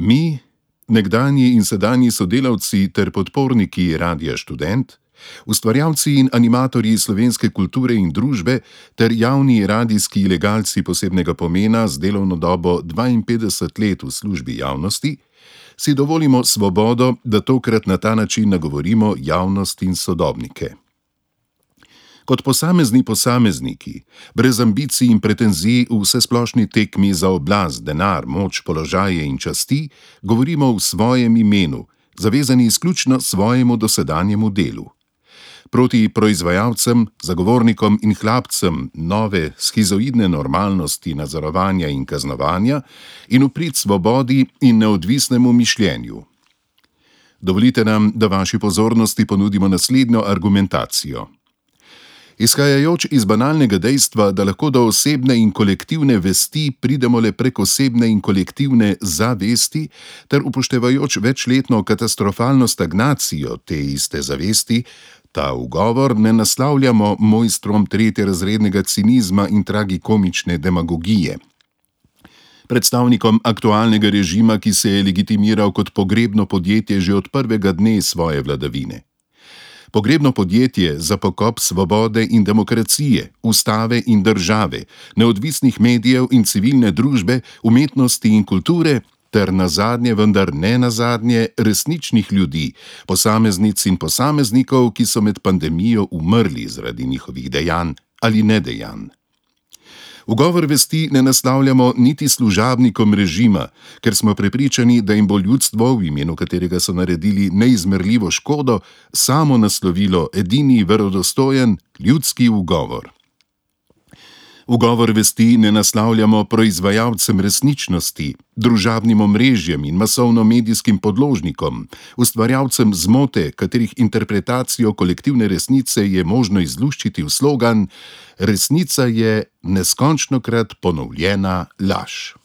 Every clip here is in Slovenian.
Mi, nekdanji in sedanji sodelavci ter podporniki Radia Študent, ustvarjalci in animatorji slovenske kulture in družbe ter javni radijski ilegalci posebnega pomena z delovno dobo 52 let v službi javnosti, si dovolimo svobodo, da tokrat na ta način nagovorimo javnost in sodobnike. Kot posamezniki, brez ambicij in pretenzij v vsesplošni tekmi za oblast, denar, moč, položaje in časti, govorimo v svojem imenu, zavezani izključno svojemu dosedanjemu delu. Proti proizvajalcem, zagovornikom in hlapcem nove schizoidne normalnosti nadzorovanja in kaznovanja in v prid svobodi in neodvisnemu mišljenju. Dovolite nam, da vaši pozornosti ponudimo naslednjo argumentacijo. Izhajajoč iz banalnega dejstva, da lahko do osebne in kolektivne vesti pridemo le prek osebne in kolektivne zavesti, ter upoštevajoč večletno katastrofalno stagnacijo te iste zavesti, ta ugovor ne naslavljamo mojstrom tretjerazrednega cinizma in tragikomične demagogije. Predstavnikom aktualnega režima, ki se je legitimiral kot pogrebno podjetje že od prvega dne svoje vladavine. Pogrebno podjetje za pokop svobode in demokracije, ustave in države, neodvisnih medijev in civilne družbe, umetnosti in kulture, ter nazadnje, vendar ne nazadnje, resničnih ljudi, posameznic in posameznikov, ki so med pandemijo umrli zaradi njihovih dejanj ali nedejanj. Ugovor vesti ne naslavljamo niti služabnikom režima, ker smo prepričani, da jim bo ljudstvo, v imenu katerega so naredili neizmerljivo škodo, samo naslovilo edini verodostojen ljudski ugovor. Ugovor vesti ne naslavljamo proizvajalcem resničnosti, družabnim omrežjem in masovno-medijskim podložnikom, ustvarjalcem zmote, katerih interpretacijo kolektivne resnice je možno izluščiti v slogan: resnica je neskončnokrat ponovljena laž.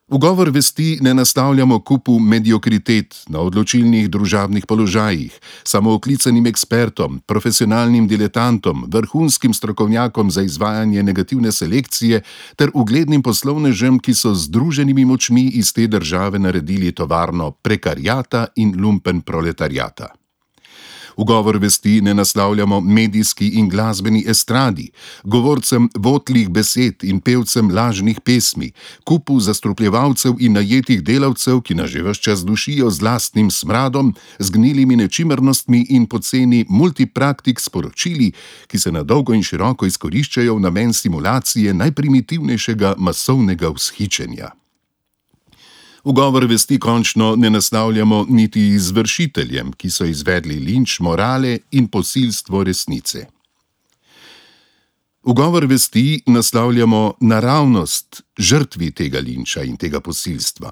Ugovor vesti ne naslavljamo kupu mediokritet na odločilnih družabnih položajih, samooklicanim ekspertom, profesionalnim diletantom, vrhunskim strokovnjakom za izvajanje negativne selekcije ter uglednim poslovnežem, ki so z združenimi močmi iz te države naredili tovarno prekariata in lumpen proletariata. Ugovor vesti ne naslavljamo medijski in glasbeni estradi, govorcem votlih besed in pevcem lažnih pesmi, kupu zastrupljevalcev in najetih delavcev, ki nas že ves čas dušijo z lastnim smradom, z gnilimi nečimrnostmi in poceni multipraktik sporočili, ki se na dolgo in široko izkoriščajo v namen simulacije najprimitivnejšega masovnega vzhičenja. Ugovor vesti končno ne naslavljamo niti izvršiteljem, ki so izvedli linč morale in posilstvo resnice. Ugovor vesti naslavljamo naravnost žrtvi tega linča in tega posilstva,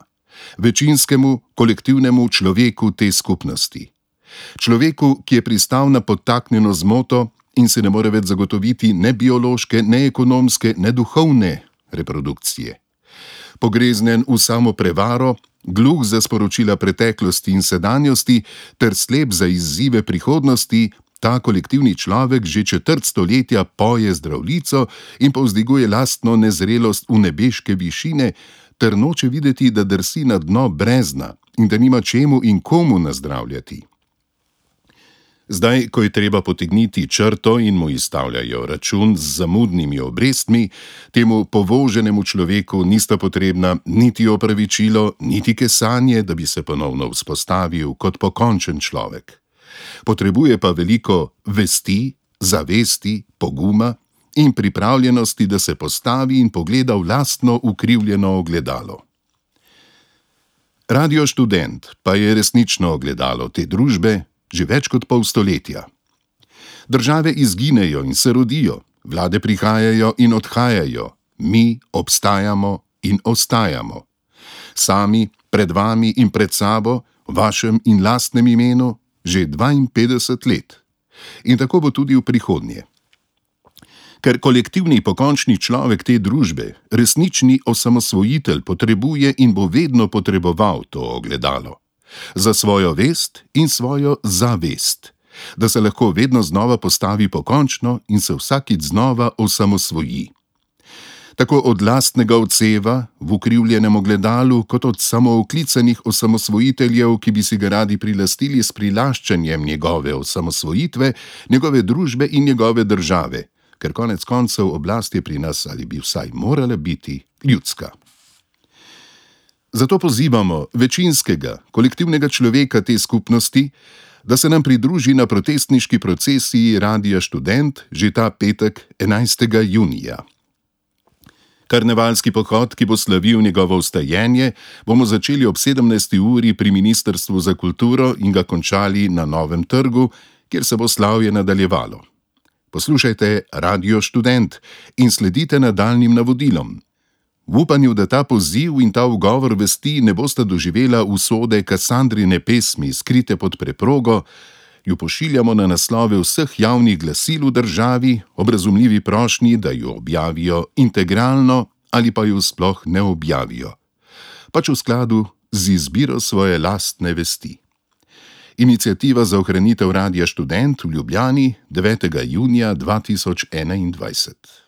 večinskemu, kolektivnemu človeku te skupnosti. Človeku, ki je pristal na podtaknjeno zmoto in se ne more več zagotoviti ne biološke, ne ekonomske, ne duhovne reprodukcije. Pogreznen v samo prevaro, gluh za sporočila preteklosti in sedanjosti ter slep za izzive prihodnosti, ta kolektivni človek že četrt stoletja poje zdravljico in povzdiguje lastno nezrelost v nebeške višine ter noče videti, da drsi na dno brezna in da nima čemu in komu nazdravljati. Zdaj, ko je treba potegniti črto in mu izstavljajo račun z zamudnimi obrestmi, temu povoženemu človeku nista potrebna niti opravičilo, niti kesanje, da bi se ponovno vzpostavil kot pokončen človek. Potrebuje pa veliko vesti, zavesti, poguma in pripravljenosti, da se postavi in pogleda v lastno ukrivljeno ogledalo. Radio Študent pa je resnično ogledalo te družbe, že več kot pol stoletja. Države izginejo in se rodijo, vlade prihajajo in odhajajo, mi obstajamo in ostajamo. Sami, pred vami in pred sabo, v vašem in lastnem imenu, že 52 let. In tako bo tudi v prihodnje. Ker kolektivni pokončni človek te družbe, resnični osamosvojitelj, potrebuje in bo vedno potreboval to ogledalo. Za svojo vest in svojo zavest, da se lahko vedno znova postavi pokončno in se vsakič znova osamosvoji. tako od lastnega odseva v ukrivljenem ogledalu, kot od samooklicanih osamosvojiteljev, ki bi si ga radi prilastili s prilaščanjem njegove osamosvojitve, njegove družbe in njegove države, ker konec koncev oblast je pri nas, ali bi vsaj morala biti, ljudska. Zato pozivamo večinskega, kolektivnega človeka te skupnosti, da se nam pridruži na protestniški procesiji Radia Študent že ta petek 11. junija. Karnevalski pohod, ki bo slavil njegovo vstajenje, bomo začeli ob 17. uri pri Ministrstvu za kulturo in ga končali na Novem trgu, kjer se bo slavje nadaljevalo. Poslušajte Radio Študent in sledite nadaljnjim navodilom. V upanju, da ta poziv in ta ugovor vesti ne bosta doživela usode Kasandrine pesmi skrite pod preprogo, ju pošiljamo na naslove vseh javnih glasil v državi ob razumljivi prošnji, da jo objavijo integralno ali pa jo sploh ne objavijo, pač v skladu z izbiro svoje lastne vesti. Iniciativa za ohranitev Radia Študent v Ljubljani 9. junija 2021.